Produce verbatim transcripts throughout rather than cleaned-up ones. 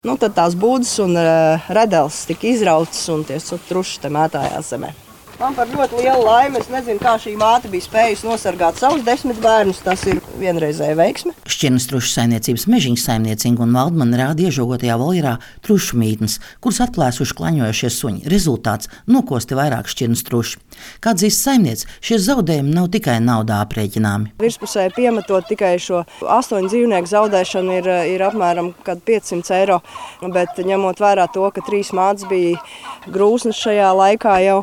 Nu, tad tās būdas un uh, redels tika izrautas un tie truši te mētājās zemē. Man par ļoti lielu laimi, es nezinu, kā šī māte bija spējusi nosargāt savus desmit bērnus, tas ir vienreizēja veiksme. Šķirnes trušu saimniecības Mežiņas saimniece Ingūna Valdmane rāda iežogotajā voljerā trušu mītnes, kuras atplēsuši klaņojošie suņi. Rezultāts – nokosti vairāk šķirnes truši. Kā atzīst saimniece, šie zaudējumi nav tikai naudā aprēķināmi. Virspusē piemetot tikai šo astoņu dzīvnieku zaudēšanu ir, ir apmēram piecsimt eiro, bet ņemot vērā to, ka trīs mātes bija grūsnes šajā laikā jau,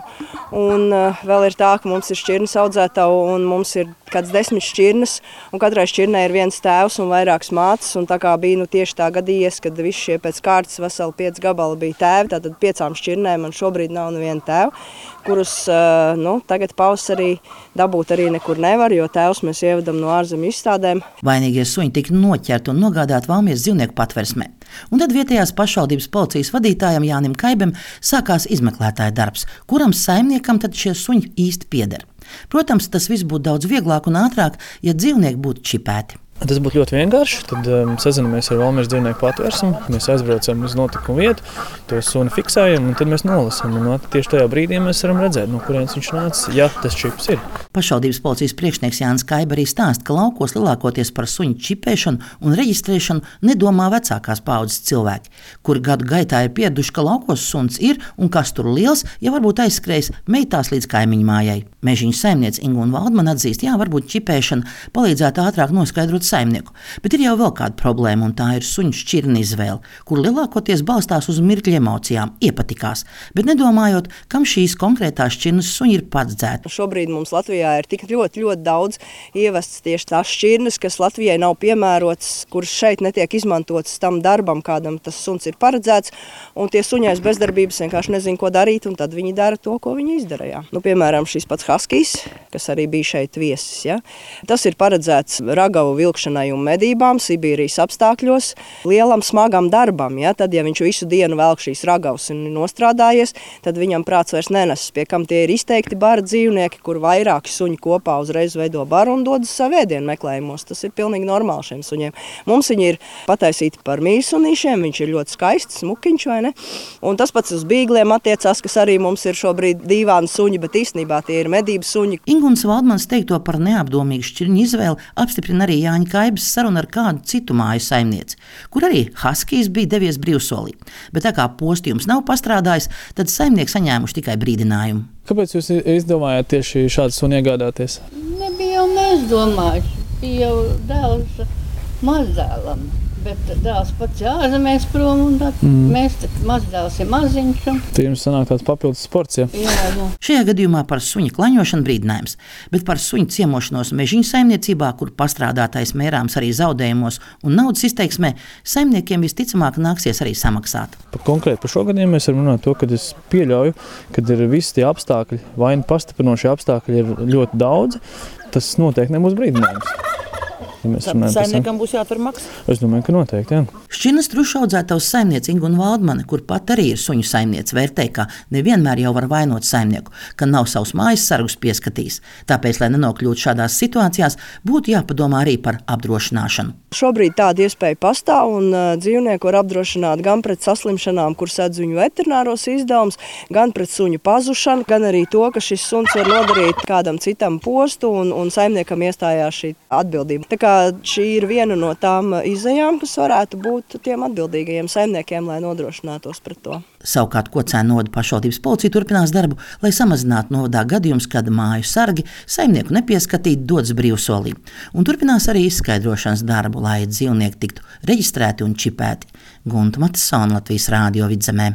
un uh, vēl ir tā, ka mums ir šķirnes audzētavu un mums ir kāds desmit šķirnes, un katrai šķirnei ir viens tēvs un vairākas mātes, un tā kā bija nu, tieši tā gadījies, kad visi šie pēc kārtas veseli pieci gabali bija tēvi, tātad piecām šķirnēm man šobrīd nav neviena tēva, kurus uh, nu, tagad pavasarī dabūt arī nekur nevar, jo tēvs mēs ievedam no ārzemju izstādēm. Vainīgie suņi tika noķerti un nogādāti Valmieras dzīvnieku patversmē. Un tad vietējās pašvaldības policijas vadītājam Jānim Kaibim sākās izmeklētāja darbs, kuram saimniekam tad šie suņi īsti pieder. Protams, tas viss būtu daudz vieglāk un ātrāk, ja dzīvnieki būtu čipēti. Tas būtu ļoti vienkārši. Tad um, sazinamies ar Valmieras dzīvnieku patversmi, mēs aizbraucam uz notikumu vietu, to suni fiksējam un tad mēs nolasam. Un, no, tieši tajā brīdī mēs varam redzēt, no kurienes viņš nāca, ja tas čips ir. Pašvaldības policijas priekšnieks Jānis Kaiba arī stāsta, ka laukos lielākoties par suņu čipēšanu un reģistrēšanu nedomā vecākās paaudzes cilvēki, kuri gadu gaitā ir pieraduši, ka laukos suns ir un kas tur liels, ja varbūt aizskrējis meitās līdz kaimiņu mājai. Mežiņas saimniece Ingūna Valdmane atzīst, jā, varbūt čipēšana palīdzētu ātrāk noskaidrot saimnieku, bet ir jau vēl kāda problēma, un tā ir suņu šķirne izvēle, kur lielākoties balstās uz mirkļa emocijām, iepatikās, bet nedomājot, kam šīs konkrētās šķirnes suņi ir paredzēti. Šobrīd mums Latvijā ir tik ļoti, ļoti daudz ievests tieši tās šķirnes, kas Latvijai nav piemērotas, kuras šeit netiek izmantotas tam darbam, kādam tas suns ir paredzēts, un tie suņi aiz bezdarbības vienkārši nezin, ko darīt, un tad viņi dara to, ko viņi izdarīja. Nu, piemēram, šis pats Haskijs, kas arī bija šeit viesis, ja? Tas ir paredzēts ragavu vilkšanai un medībām Sibīrijas apstākļos, lielam smagam darbam. Ja? Tad, ja viņš visu dienu velk šīs ragavas un nostrādājies, tad viņam prāts vairs nenesas, pie kam tie ir izteikti bara dzīvnieki, kur vairāki suņi kopā uzreiz veido baru un dodas savu ēdienu meklējumos. Tas ir pilnīgi normāli šiem suņiem. Mums viņi ir pataisīti par mīļsunīšiem, viņš ir ļoti skaists, smukiņš, vai ne? Un tas pats uz bīgliem attiecās, kas arī mums ir šobrīd dīvāni suņi, bet īstenībā tie ir medību suņi. Ingūnas Valdmanes teikto par neapdomīgu šķirņu izvēli apstiprina arī Jāņa Kaibas saruna ar kādu citu māju saimnieci, kur arī Haskijs bija devies brīvsolī. Bet tā kā postījums nav pastrādājis, tad saimnieki saņēmuši tikai brīdinājumu. Kāpēc jūs izdomājāt tieši šādu suni iegādāties? Nebija jau mēs domājuši, bija jau dēls mazdēlam. Bet dēls pats jāzemēs prom, un tad mm. mēs mazdēls ir maziņš. Un... Tad jums sanāk tāds papildus sports, ja? Jā, jā. Šajā gadījumā par suņa klaņošanu brīdinājums, bet par suņu ciemošanos Mežiņu saimniecībā, kur pastrādātais mērāms arī zaudējumos un naudas izteiksmē, saimniekiem visticamāk nāksies arī samaksāt. Pa konkrēti par šo gadījumu mēs varam runāt to, ka es pieļauju, kad ir visi tie apstākļi, vai nu pastiprinošie apstākļi ir ļoti daudz, tas noteikti nebūs brīdinājums. Ja saimniekam būs jāatver maksa? Es domāju, ka noteikti, jā. Šķirnes trušu audzētavas saimniece Ingūna Valdmane, kur pat arī ir suņu saimniece, vērtē, ka nevienmēr jau var vainot saimnieku, ka nav savus mājas sargus pieskatījis. Tāpēc, lai nenokļūtu šādās situācijās, būtu jāpadomā arī par apdrošināšanu. Šobrīd tāda iespēja pastāv, un uh, dzīvnieku var apdrošināt gan pret saslimšanām, kur sedz viņu veterināros izdevumus, gan pret suņu pazušanu, gan arī to, ka šis suns var nodarīt kādam citam postu, un, un saimniekam iestājās šī atbildība. Tā kā šī ir viena no tām izejām, kas varētu būt tiem atbildīgajiem saimniekiem, lai nodrošinātos pret to. Savukārt Kocēnu novada pašvaldības policija turpinās darbu, lai samazinātu novadā gadījumus, kad māju sargi saimnieku nepieskatīt dodas brīvsolī. Un turpinās arī izskaidrošanas darbu, lai dzīvnieki tiktu reģistrēti un čipēti. Gunta Matisona, Latvijas Rādio Vidzemē.